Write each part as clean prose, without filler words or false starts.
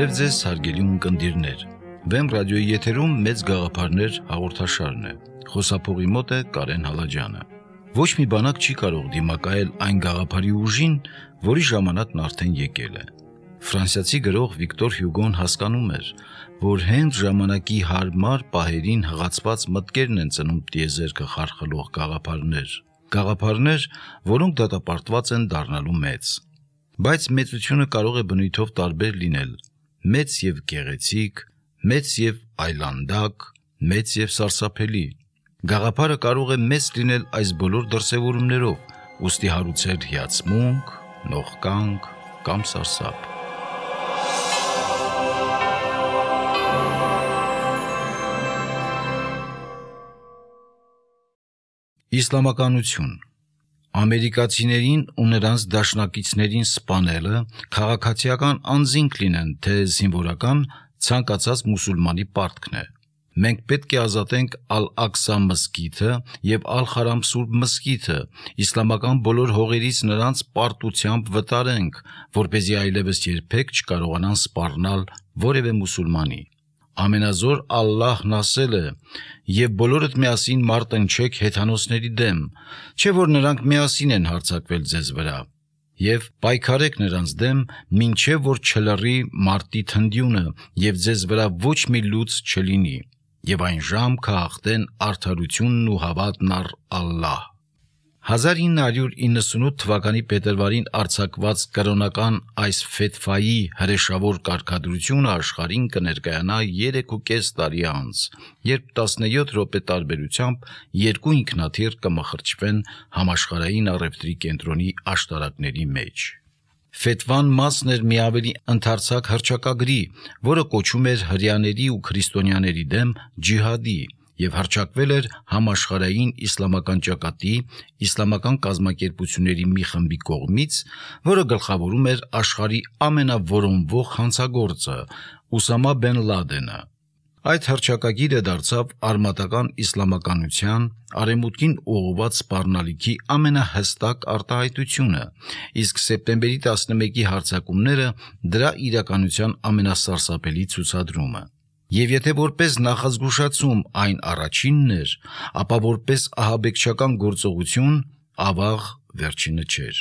Բարև ձեզ հարգելի ունկնդիրներ, Վեմ ռադիոյի եթերում մեծ գաղափարներ հաղորդաշարն է, խոսափողի մոտ է Կարեն Հալաջյանը։ Ոչ մի բանակ չի կարող դիմակայել այն գաղափարի ուժին, որի ժամանակն արդեն եկել է։ Ֆրանսիացի գրող Վիկտոր Հյուգոն հասկանում էր, որ հենց ժամանակի հարմար պահերին հղացված մտքերն են ծնում տիեզերքը խարխլող գաղափարներ, որոնք դատապարտված են դառնալու մեծ։ Բայց մեծությունը կարող է բնույթով տարբեր լինել, մեծ եւ գեղեցիկ, մեծ եւ այլանդակ, մեծ եւ սարսափելի։ Գաղափարը կարող է մեծ լինել այս բոլոր դրսևորումներով, ուստի հարուցել հիացմունք, նողկանք կամ սարսափ։ Իսլամականություն ամերիկացիներին ու նրանց դաշնակիցներին սպանելը քաղաքացիական անձինք լինեն, թե զինվորական ցանկացած մուսուլմանի պարտքն է։ Մենք պետք է ազատենք Ալ-Աղսա մզկիթը եւ Ալ-Խարամ Սուրբ մզկիթը, իսլամական բոլոր հողերից նրանց պարտությամբ վտարենք, որպեսզի այլևս երբեք չկարողանան սպառնալ որևէ մուսուլմանի։ Ամենազոր Ալլահն ասել է. «Եվ բոլորդ միասին մարտնչեք հեթանոսների դեմ, չէ որ նրանք միասին են հարձակվել ձեզ վրա, եւ պայքարեք նրանց դեմ, մինչեւ որ չլռի մարտի թնդյունը, եւ ձեզ վրա ոչ մի լուծ չլինի, եւ այն ժամ կհաղթեն արդարությունն ու հավատն առ Ալլահ»։ 1998 թվականի փետրվարին արձակված կրոնական այս ֆեթվայի հրեշավոր կարգադրությունը աշխարհին կներկայանա 3.5 տարի անց, երբ 17 րոպե տարբերությամբ երկու ինքնաթիռ կմխրճվեն համաշխարհային առևտրի կենտրոնի աշտարակների մեջ։ Ֆեթվան մասն էր մի ավելի ընդարձակ հռչակագրի, որը կոչում էր հրեաների ու քրիստոնյաների դեմ ջիհադի եւ հռչակվել էր համաշխարհային իսլամական ճակատի իսլամական կազմակերպությունների մի խմբի կողմից, որը գլխավորում էր աշխարհի ամենավորոնվող հանցագործը Ուսամա Բեն Լադենը։ Այդ հռչակագիրը դարձավ արմատական իսլամականության արևմուտքին ուղղված սպառնալիքի ամենահստակ արտահայտությունը, իսկ սեպտեմբերի 11-ի հարձակումները դրա իրականության ամենասարսափելի ցուցադրումը։ Եվ եթե որպես նախազգուշացում այն առաջինն էր, ապա որպես ահաբեկչական գործողություն ավաղ վերջինը չէր։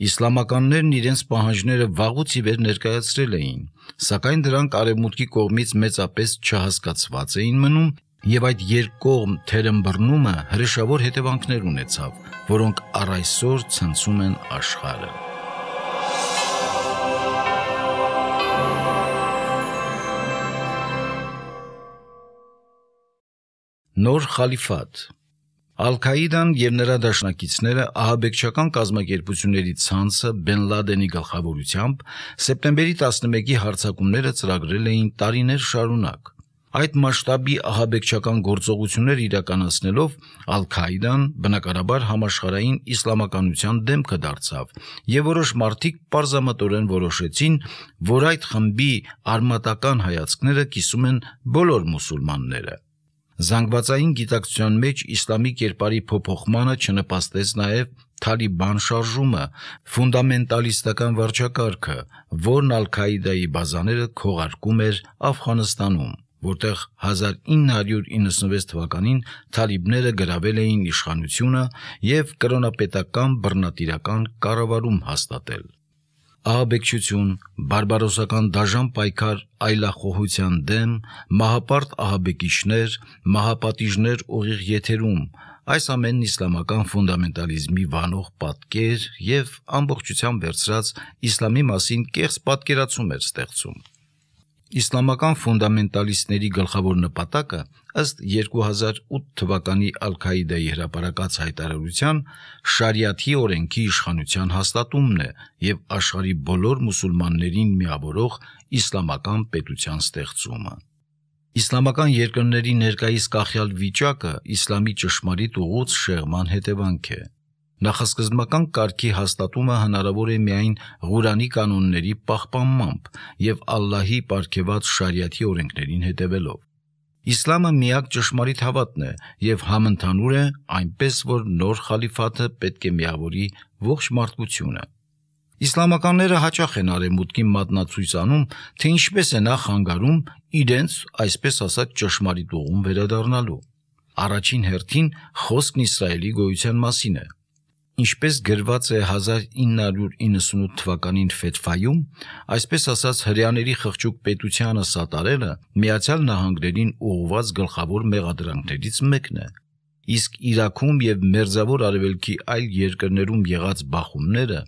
Իսլամականներն իրենց պահանջները վաղուց ի վեր ներկայացրել էին, սակայն դրանք արևմուտքի կողմից մեծապես չհասկացված էին մնում, եւ այդ երկկողմ թերմբռնումը հրեշավոր հետևանքներ ունեցավ, որոնք առ այսօր ցնցում են աշխարհը։ Նոր խալիֆատ Ալ-Քաիդան եւ նրա դաշնակիցները ահաբեկչական կազմակերպությունների ցանցը Բեն Լադենի գլխավորությամբ սեպտեմբերի 11-ի հարձակումները ծրագրել էին տարիներ շարունակ։ Այդ մասշտաբի ահաբեկչական գործողություններ իրականացնելով Ալ-Քաիդան բնականաբար համաշխարհային իսլամականության դեմքը դարձավ, եւ որոշ մարդիկ պարզամտորեն որոշեցին, որ այդ խմբի արմատական հայացքները կիսում են բոլոր մուսուլմանները։ Զանգվածային գիտակցության մեջ իսլամի կերպարի փոփոխմանը չնպաստեց նաև Թալիբան շարժումը, ֆունդամենտալիստական վարչակարգը, որն Ալ-Քաիդայի բազաները քողարկում էր Աֆղանստանում, որտեղ 1996 թվականին թալիբները գրավել էին իշխանությունը եւ կրոնապետական բռնատիրական կառավարում հաստատել։ Ահաբեկչություն, բարբարոսական դաժան պայքար այլախոհության դեմ, մահապարտ ահաբեկիչներ, մահապատիժներ ուղիղ եթերում, այս ամենն իսլամական ֆունդամենտալիզմի վանող պատկեր եւ ամբողջությամբ վերցրած իսլամի մասին կեղծ պատկերացում էր ստեղծում։ Իսլամական ֆունդամենտալիստների գլխավոր նպատակը ըստ 2008 թվականի Ալ-Քաիդայի հրապարակած հայտարարության շարիաթի օրենքի իշխանության հաստատումն է եւ աշխարհի բոլոր մուսուլմաններին միավորող իսլամական պետության ստեղծումը։ Իսլամական երկրների ներկայիս կախյալ վիճակը իսլամի ճշմարիտ ուղուց շեղման հետևանք է։ Նախասկզբնական կարգի հաստատումը հնարավոր է միայն Ղուրանի կանոնների պահպանմամբ եւ Ալլահի պարգեւած շարիաթի օրենքներին հետևելով։ Իսլամը միակ ճշմարիտ հավատն է եւ համընդհանուր է, այնպես որ նոր խալիֆաթը պետք է միավորի ողջ մարդկությունը։ Իսլամականները հաճախ են արևմուտքին մատնացույց անում, թե ինչպես է նա խանգարում իրենց, այսպես ասած, ճշմարիտ ուղուն վերադառնալու։ Առաջին հերթին խոսքն Իսրայելի գոյության մասին է։ Ինչպես գրված է 1998 թվականին Ֆեթվայում, այսպես ասած հրեաների խղճուկ պետությանը սատարելը Միացյալ Նահանգներին ուղղված գլխավոր մեղադրանքներից մեկն է։ Իսկ Իրաքում եւ Մերձավոր Արևելքի այլ երկրներում եղած բախումները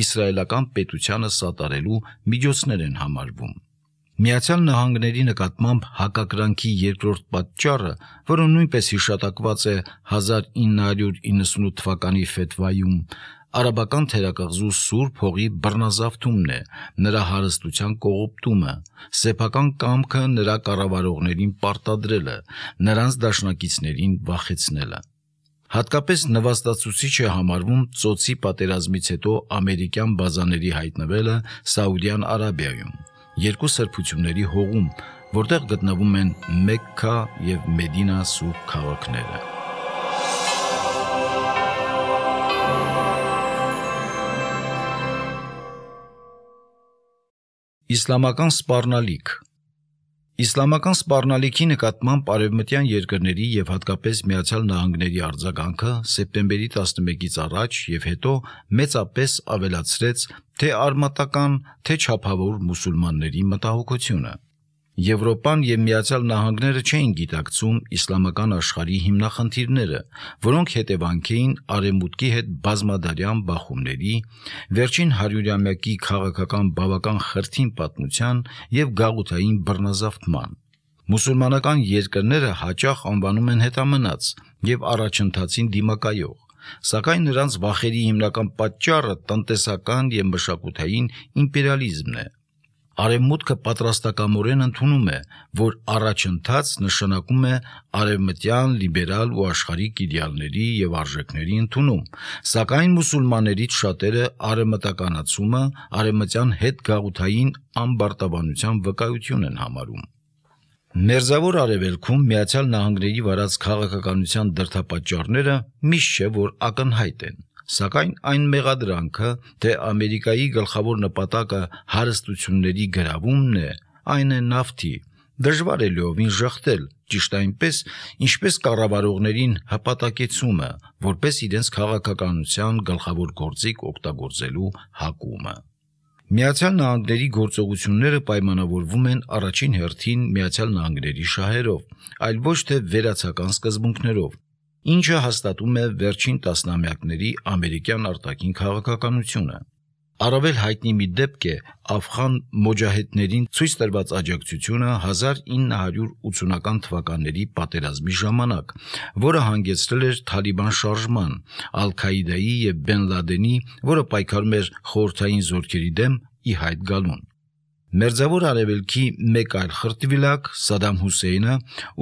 իսրայելական պետությանը սատարելու միջոցներ են համարվում։ Միացյալ Նահանգների նկատմամբ հակակրանքի երկրորդ պատճառը, որը նույնպես հիշատակված է 1998 թվականի Ֆեթվայում, արաբական թերակղզու Սուրբ հողի բռնազավթումն է, նրա հարստության կողոպտումը, սեփական կամքը նրա կառավարողներին պարտադրելը, նրանց դաշնակիցներին վախեցնելը։ Հատկապես նվաստացուցիչ է համարվում ծոցի պատերազմից հետո ամերիկյան բազաների հայտնվելը Սաուդյան Արաբիայում, երկու սրբությունների հողում, որտեղ գտնվում են Մեքքա եւ Մեդինա սուրբ քաղաքները։ Իսլամական սպառնալիք։ Իսլամական սպառնալիքի նկատմամբ արևմտյան երկրների եւ հատկապես Միացյալ Նահանգների արձագանքը սեպտեմբերի 11-ից առաջ եւ հետո մեծապես ավելացրեց թե արմատական, թե չափավոր մուսուլմանների մտահոգությունը։ Եվրոպան եւ Միացյալ Նահանգները չէին գիտակցում իսլամական աշխարհի հիմնախնդիրները, որոնք հետևանք էին արևմուտքի հետ բազմադարյան բախումների, վերջին 100-ամյակի քաղաքական բավական խրթին պատմության եւ գաղութային բռնազավթման։ Մուսուլմանական երկրները հաճախ անվանում են հետամնաց եւ առաջընթացին դիմակայող, սակայն նրանց վախերի հիմնական պատճառը տնտեսական եւ մշակութային իմպերիալիզմն է։ Արևմուտքը պատրաստակամորեն ընդունում է, որ առաջընթաց նշանակում է արևմտյան լիբերալ ու աշխարհիկ իդեալների եւ արժեքների ընդունում, սակայն մուսուլմաններից շատերը արևմտականացումը արևմտյան հետգաղութային ամբարտավանության վկայություն են համարում։ Մերձավոր Արևելքում Միացյալ Նահանգների վարած քաղաքականության դրդապատճառները միշտ չէ որ ակնհայտ են, սակայն այն մեղադրանքը, թե Ամերիկայի գլխավոր նպատակը հարստությունների գրավումն է, այն է նավթի, դժվար է լիովին ժխտել, ճիշտ այնպես, ինչպես կառավարողներին հպատակեցումը, որպես իրենց քաղաքականության գլխավոր գործիք օգտագործելու հակումը։ Միացյալ Նահանգների գործողությունները պայմանավորվում են առաջին հերթին Միացյալ Նահանգների շահերով, այլ ոչ թե վերացական սկզբունքներով, ինչը հաստատում է վերջին տասնամյակների ամերիկյան արտաքին քաղաքականությունը։ Առավել հայտնի մի դեպք է աֆղան մոջահեդներին ցույց տրված աջակցությունը 1980-ական թվականների պատերազմի ժամանակ, որը հանգեցրել էր Թալիբան շարժման, Ալ-Քաիդայի եւ Բեն Լադենի, որը պայքարում էր խորհրդային զորքերի դեմ, ի հայտ գալուն։ Մերձավոր Արևելքի մեկ այլ խրտվիլակ Սադամ Հուսեյնը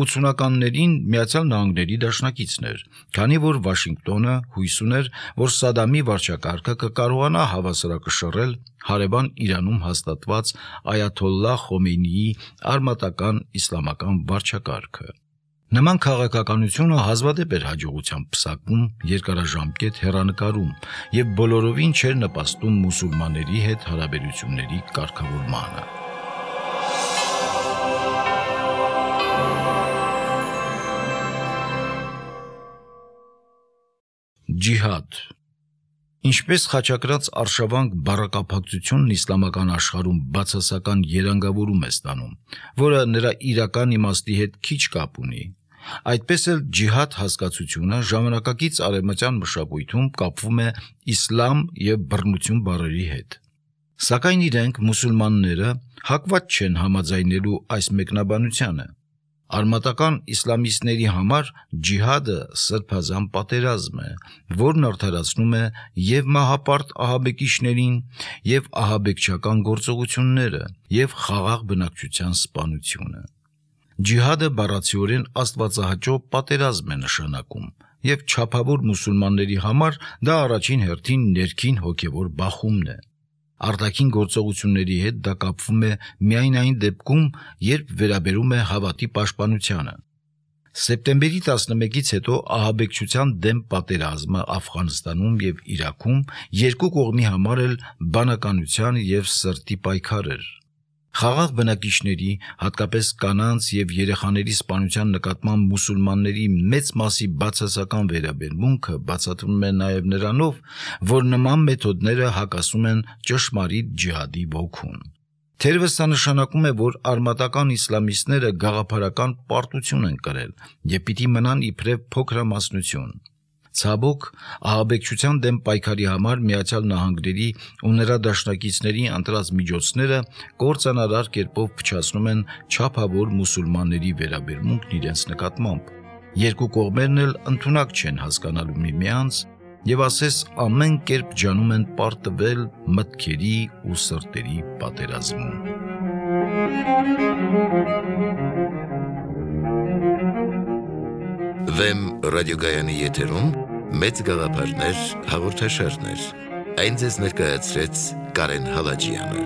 80-ականներին Միացյալ Նահանգների դաշնակիցն էր, քանի որ Վաշինգտոնը հույս ուներ, որ Սադամի վարչակարգը կկարողանա հավասարակշռել հարևան Իրանում հաստատված Այաթոլլահ Խոմեյնիի արմատական իսլամական վարչակարգը։ Նման քաղաքականությունը հազվադեպ էր հաջողությամբ պսակվում երկարաժամկետ հեռանկարում եւ բոլորովին չէր նպաստում մուսուլմանների հետ հարաբերությունների կարգավորմանը։ Ջիհադ։ Ինչպես խաչակրած արշավանք բառակապակցությունն իսլամական աշխարհում բացասական երանգավորում է ստանում, որը նրա իրական իմաստի հետ քիչ կապ ունի, այդպես էլ ջիհադ հասկացությունը ժամանակակից արևմտյան մշակույթում կապվում է իսլամ եւ բռնություն բառերի հետ։ Սակայն իրենք մուսուլմանները հակված չեն համաձայնելու այս մեկնաբանությանը։ Արմատական իսլամիստների համար ջիհադը սրբազան պատերազմ է, որն արդարացնում է եւ մահապարտ ահաբեկիչներին, եւ ահաբեկչական գործողությունները, եւ խաղաղ բնակչության սպանությունը։ Ջիհադը բառացիորեն աստվածահաճո պատերազմ է նշանակում, եւ չափավոր մուսուլմանների համար դա առաջին հերթին ներքին հոգեվոր բախումն է։ Արտաքին գործողությունների հետ դա կապվում է միայն այն դեպքում, երբ վերաբերում է հավատի պաշտպանությանը։ Սեպտեմբերի 11-ից հետո ահաբեկչության դեմ պատերազմը Աֆղանստանում եւ Իրաքում երկու կողմի համար էլ բանականության եւ սրտի պայքար էր։ Խաղաղ բնակիչների, հատկապես կանանց եւ երեխաների սպանության նկատմամբ մուսուլմանների մեծ մասի բացասական վերաբերմունքը բացատրվում է նաեւ նրանով, որ նման մեթոդները հակասում են ճշմարիտ ջիհադի ոգուն։ Թերևս սա նշանակում է, որ արմատական իսլամիստները գաղափարական պարտություն են կրել եւ պիտի մնան իբրև փոքրամասնություն։ Ցավոք, ահաբեկչության դեմ պայքարի համար Միացյալ Նահանգների ու նրա դաշնակիցների ընտրած միջոցները կործանարար կերպով փչացնում են չափավոր մուսուլմանների վերաբերմունքն իրենց նկատմամբ։ Երկու կողմերն էլ ընդունակ չեն հասկանալու միմյանց եւ ասես ամեն կերպ ջանում են պարտվել մտքերի ու սրտերի պատերազմում։ Վեմ ռադիոգայանի եթերում մեծ գաղափարներ հաղորդաշարներ։ Այն ձեզ ներկայացրեց Կարեն Հալաջյանը։